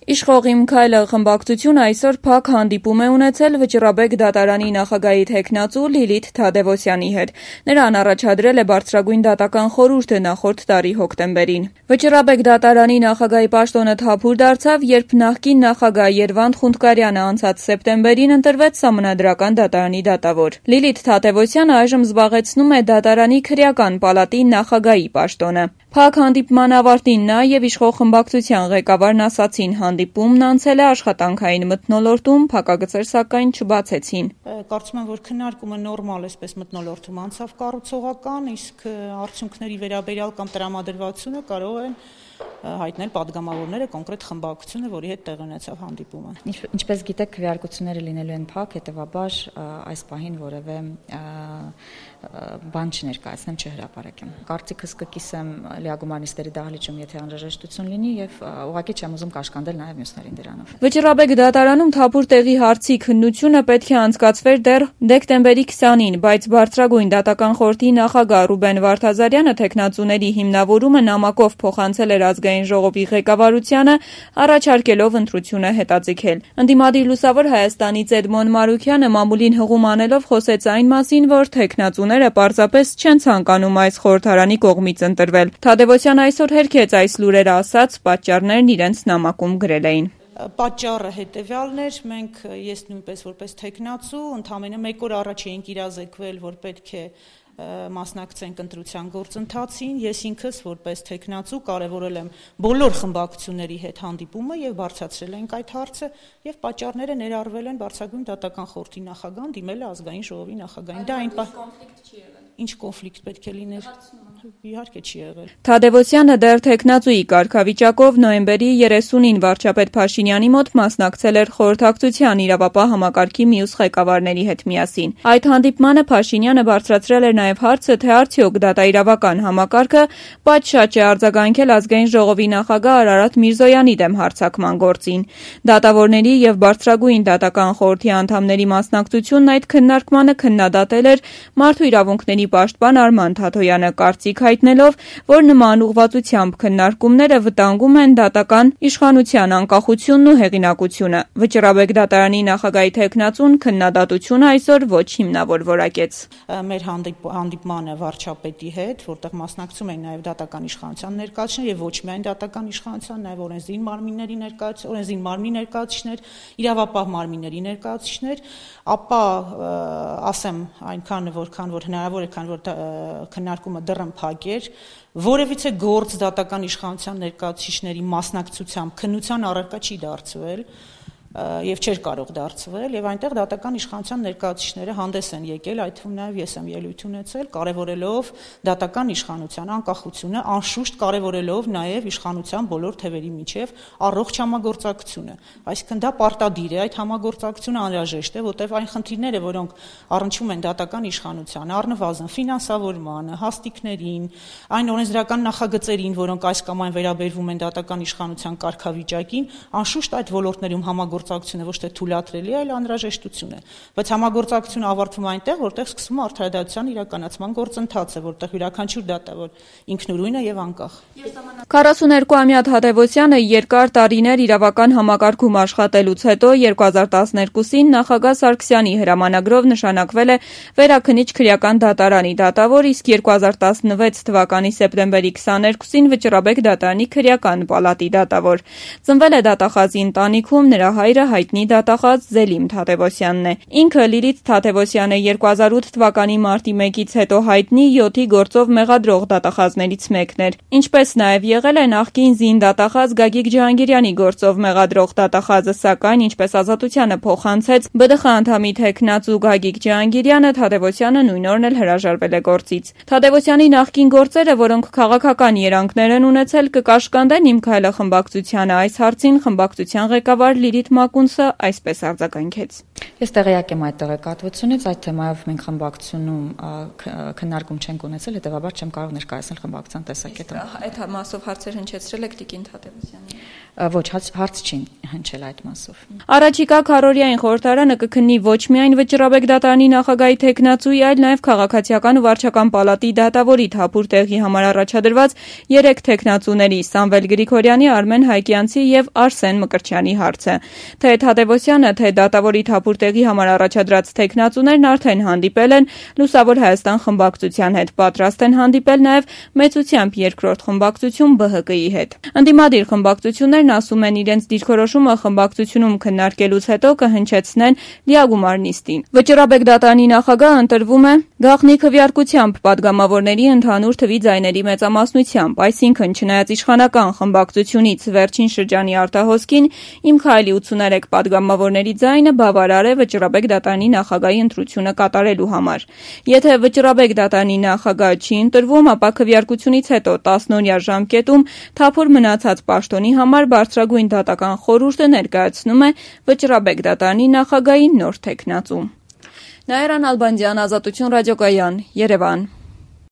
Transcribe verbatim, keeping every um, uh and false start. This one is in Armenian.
Իշխող «Իմ քայլը» խմբակցությունը այսօր փակ հանդիպում է ունեցել Վճռաբեկ դատարանի նախագահի թեկնածու Լիլիթ Թադևոսյանի հետ: Նրան առաջադրել է բարձրագույն դատական խորհուրդը նախորդ տարի հոկտեմբերին: Վճռաբեկ դատարանի նախագահի պաշտոնը թափուր դարձավ, երբ նախկին նախագահ Երվանդ Խունդկարյանը անցած սեպտեմբերին ընտրվեց Սահմանադրական դատարանի դատավոր: Լիլիթ Թադևոսյանը այժմ զբաղեցնում է դատարանի քրեական պալատի նախագահի պաշտոնը: Փակ հանդիպման ավարտին նա և իշխող խմբակցության ղեկավարն ասացին, հանդիպումն անցել է աշխատանքային մթնոլորտում, փակագծեր սակայն չբացեցին: Կարծում եմ, որ քննարկումը նորմալ այսպես մթնոլորտում անցավ կառուցողական, իսկ արդյունքների վերաբերյալ կամ տրամադրվածությունը կարող են հայտնել պատգամավորները, կոնկրետ խմբակցությունը, որի հետ տեղի ունեցավ հանդիպումը: Ինչպես գիտեք, քվեարկությունները լինելու են փակ, հետևաբար այս պահին որևէ բան չներկայացնեմ, չհրապարակեմ: Կարծիքս կկիսեմ լիագումար նիստերի դահլիճում, եթե անհրաժեշտություն լինի, եւ ուղղակի չեմ ուզում կաշկանդել նաեւ մյուսներին դրանով: Վճռաբեկ դատարանում թափուր տեղի հարցի քննությունը պետք է անցկացվեր դեռ դեկտեմբերի քսանին, բայց Բարձրագույն դատական խորհրդի նախագահ Ռուբեն Վարդազարյանը թեկնածուների հիմնավորումը նամակով փոխանցել էր Ազգային ժողովի ղեկավարությանը, առաջարկելով ընտրությունը հետաձգել: Ընդդիմադիր Լուսավոր Հայաստանից Էդմոն Մարուքյանը մամուլին հղում անելով խոսեց այն մասին, որ թեկնածուները պարզապես չեն ցանկանում այս խորհրդարանի կողմից ընտրվել: Թադևոսյանը այսօր հերքեց այս լուրերը, ասաց՝ պատճառներն իրենց նամակում գրել էին: Պատճառը հետևյալն էր, մենք ես նույնպես որպես թեկնածու ընդամենը մեկ օր առաջ էինք իրազեկվել, որ պետք է մասնակցենք ընտրության գործընթացին: Ես ինքս որպես թեկնածու կարևորել եմ բոլոր խմբակցությունների հետ հանդիպումը եւ բարձրացրել ենք այդ հարցը, եւ պատճառները ներառվել են Բարձրագույն դատական խորհրդի նախագահան դիմել է Ազգային ժողովի նախագահին: Դա այն ինչ կոնֆլիկտ պետք է լիներ, իհարկե չի եղել: Թադևոսյանը դեռ թեկնածուի կարգավիճակով նոյեմբերի երեսունին վարչապետ Փաշինյանի մոտ մասնակցել էր խորհրդակցության իրավապահ համակարգի մյուս ղեկավարների հետ միասին: Այդ հանդիպմանը Փաշինյանը բարձրացրել էր նաեւ հարցը, թե արդյոք դատաիրավական համակարգը պատշաճ է արձագանքել Ազգային ժողովի նախագահ Արարատ Միրզոյանի դեմ հարձակման գործին: Դատավորների եւ Բարձրագույն դատական խորհրդի անդամների մասնակցությունն այդ քննարկմանը քննադատել էր Մարդու իրավունքների պաշտպան Արման Թաթոյանը, կարծիք հայտնելով, որ նման ուղղվածությամբ քննարկումները վտանգում են դատական իշխանության անկախությունն ու հեղինակությունը: Վճռաբեկ դատարանի նախագահի թեկնածուն քննադատությունը այսօր ոչ հիմնավոր որակեց: Մեր հանդիպմանը վարչապետի հետ, որտեղ մասնակցում էին նաեւ դատական իշխանության ներկայացուցիչներ եւ ոչ միայն դատական իշխանության, նաեւ օրենսդիր մարմինների օրենսդիր մարմնի ներկայացուցիչներ, իրավապահ մարմինների ներկայացուցիչներ, ապա ասեմ այնքան, որքան որ հնարավոր է, քանի որ քննարկումը դեռ փակ էր, որևիցե գործ դատական իշխանության ներկայացուցիչների մասնակցությամբ քննության առարկա չի դարձվել եւ չէր կարող դարձվել, եւ այնտեղ դատական իշխանության ներկայացուցիչները հանդես են եկել, այդ թվում նաեւ ես եմ ելույթ ունեցել, կարեւորելով դատական իշխանության անկախությունը, անշուշտ կարեւորելով նաեւ իշխանության բոլոր թևերի միջեւ առողջ համագործակցությունը: Այսինքն դա պարտադիր է, այդ համագործակցությունը անհրաժեշտ է, որտեղ այն խնդիրները, որոնք առնչվում են դատական իշխանությանը, առնվազն ֆինանսավորմանը, հաստիկներին, այն օրենսդրական նախագծերին, որոնք այս կամ այն վերաբերվում են դատական իշխանության կարգավիճակին, անշուշտ այդ ոլորտներում համագործակցությունը ոչ թե թույլատրելի է, այլ անհրաժեշտություն է: Բայց համագործակցությունը ավարտվում է այնտեղ, որտեղ սկսվում է արդարադատության իրականացման գործընթացը, որտեղ յուրաքանչյուր դատավոր ինքնուրույն է եւ անկախ: քառասուներկուամյա Թադևոսյանը երկար տարիներ իրավական համակարգում աշխատելուց հետո երկու հազար տասներկուսին նախագահ Սարգսյանի հրամանագրով նշանակվել է Վերաքննիչ քրեական դատարանի դատավոր, իսկ երկու հազար տասնվեց թվականի սեպտեմբերի քսաներկուսին Վճռաբեկ դատարանի քրեական պալատի դատավոր: Ծնվել է դատախազի ընտանիքում, նրա հայրը հայտնի դատախազ Զելիմ Թադևոսյանն է: Ինքը Լիլիթ Թադևոսյանը երկու հազար ութ թվականի մարտի մեկից հետո հայտնի յոթի գործով մեղադրող դատախազներից մեկն էր: Ինչպես նաեւ եղել է նախկին զինդատախազ Գագիկ Ջհանգիրյանի գործով մեղադրող դատախազը, սակայն ինչպես Ազատությանը փոխանցեց ԲԴԽ անդամի թեկնածու Գագիկ Ջհանգիրյանը, Թադևոսյանը նույն օրն էլ հրաժարվել է գործից: Թադևոսյանի նախկին գործերը, որոնք քաղաքական երանգներ են ունեցել, կկաշկանդեն «Իմ քայլը» խմբակցությանը: Այս հարցին խմբակցության ղեկավար Լիլիթ մակունցը այսպես արձագանքեց. Ես տեղյակ եմ այդ տեղեկատվությունից, այդ թեմայով մենք խմբակցությունում քննարկում չենք ունեցել, հետևաբար չեմ կարող ներկայացնել խմբակցության տեսակետը։ Այդ մասով հարցեր հնչեցրել եք Տիկին Թադևոսյանին։ Ոչ, հարց չի հնչել այդ մասով։ Առաջիկա քառօրյային խորհրդարանը կքննի ոչ միայն Վճռաբեկ դատարանի նախագահի թեկնածուի, այլ նաև քաղաքացիական ու վարչական պալատի դատավորի Թափուր տեղի համար առաջադրված երեք թեկնածուների՝ Սամվել Գրիգորյանի, Արմեն Հայկյանցի եւ Արսեն Մկրտչյանի հարցը։ Թե Թադևոսյանը, թե դատավորի Թափուր տեղի համար առաջադրած թեկնածուներն արդեն հանդիպել են Լուսավոր Հայաստան խմբակցության հետ, պատրաստ են հանդիպել նաև մեծությամբ երկրորդ խմբակցություն Բ Հ Կ-ի հետ։ Ընդդիմադիր խմբակցություններն ասում են իրենց դիրքորոշումը խմբակցությունում քննարկելուց հետո կհնչեցնեն լիագումար նիստին։ Վճռաբեկ դատարանի նախագահը ընտրվում է գաղտնի քվեարկությամբ падգամավորների ընդհանուր թվի ձայների մեծամասնությամբ, այսինքն չնայած իշխանական խմբակցությունից վերջին շրջանի արտահոսքին Իմ քայլի ութսուներեք падգամավորների ձայնը բավարար է Վճռաբեկ դատարանի նախագահի ընտրությունը կատարելու համար։ Եթե Վճռաբեկ դատարանի նախագահ չի ընտրվում, ապա քվեարկությունից հետո տասնօրյա ժամկետում Թափուր մնացած պաշտոնի համար բարձրագույն դատական խորհուրդը ներկայացնում է Վճռաբեկ դատարանի նախագահի նոր թեկնածու։ Նաիրա Նալբանդյան, Ազատություն ռադիոկայան, Երևան։